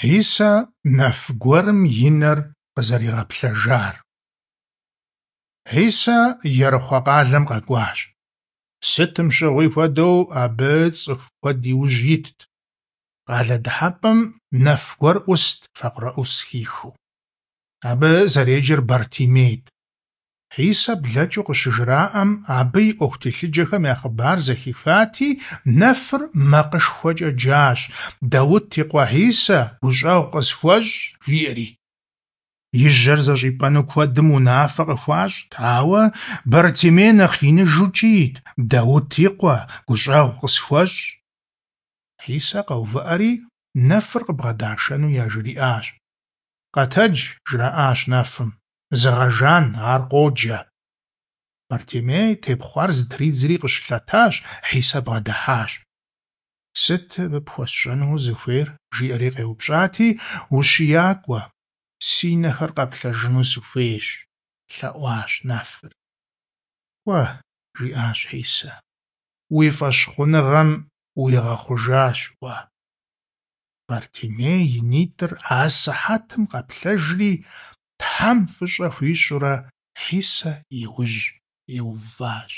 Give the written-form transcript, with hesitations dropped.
Хьисэ нэф гуэрым и нэр къызэригъэплъэжар. Хьисэ Ерыхъуэ къалэм къэкӀуащ. Сытым щыгъуи хуэдэу, абы цӀыху куэд и ужь итт. Къалэ дыхьэпӀэм нэф гуэр Ӏуст факъырэӀус хихыу. Абы зэреджэр Бартимейт. Хьисэ блэкӀыу къыщыжраӀэм, абы и Ӏуэху телъыджэхэм я хъыбар зэхихати, нэфыр макъышхуэкӀэ джащ: «Даут и къуэ Хьисэ, гущӀэгъу къысхуэщӀ!» – жиӀэри. И жьэр зэщӀипӀэну куэдым унафэ къыхуащӀт, ауэ Бартимей нэхъ иныжу кӀийт: «Даут и къуэ, гущӀэгъу къысхуэщӀ!» Хьисэ къэувыӀэри, нэфыр къыбгъэдашэну яжриӀащ. «Къэтэдж, – жраӀащ нэфым, – зыгъэжан, ар къоджэ». Бартимей тепхъуар зытридзэри къыщылъэтащ, Хьисэ бгъэдыхьащ. «Сыт пхуэсщӀэну узыхуейр?» – жиӀэри къеупщӀати, «УщиякӀуэ, си нэхэр къэплъэжыну сыхуейщ», – лъэӀуащ нэфыр. «КӀуэ, – жиӀащ Хьисэ, – уи фӀэщхъуныгъэм уигъэхъужащ уэ». Бартимей и нитӀыр асыхьэтым къэплъэжри, Тхьэм фӀыщӀэ хуищӀурэ, Хьисэ и ужь иуващ.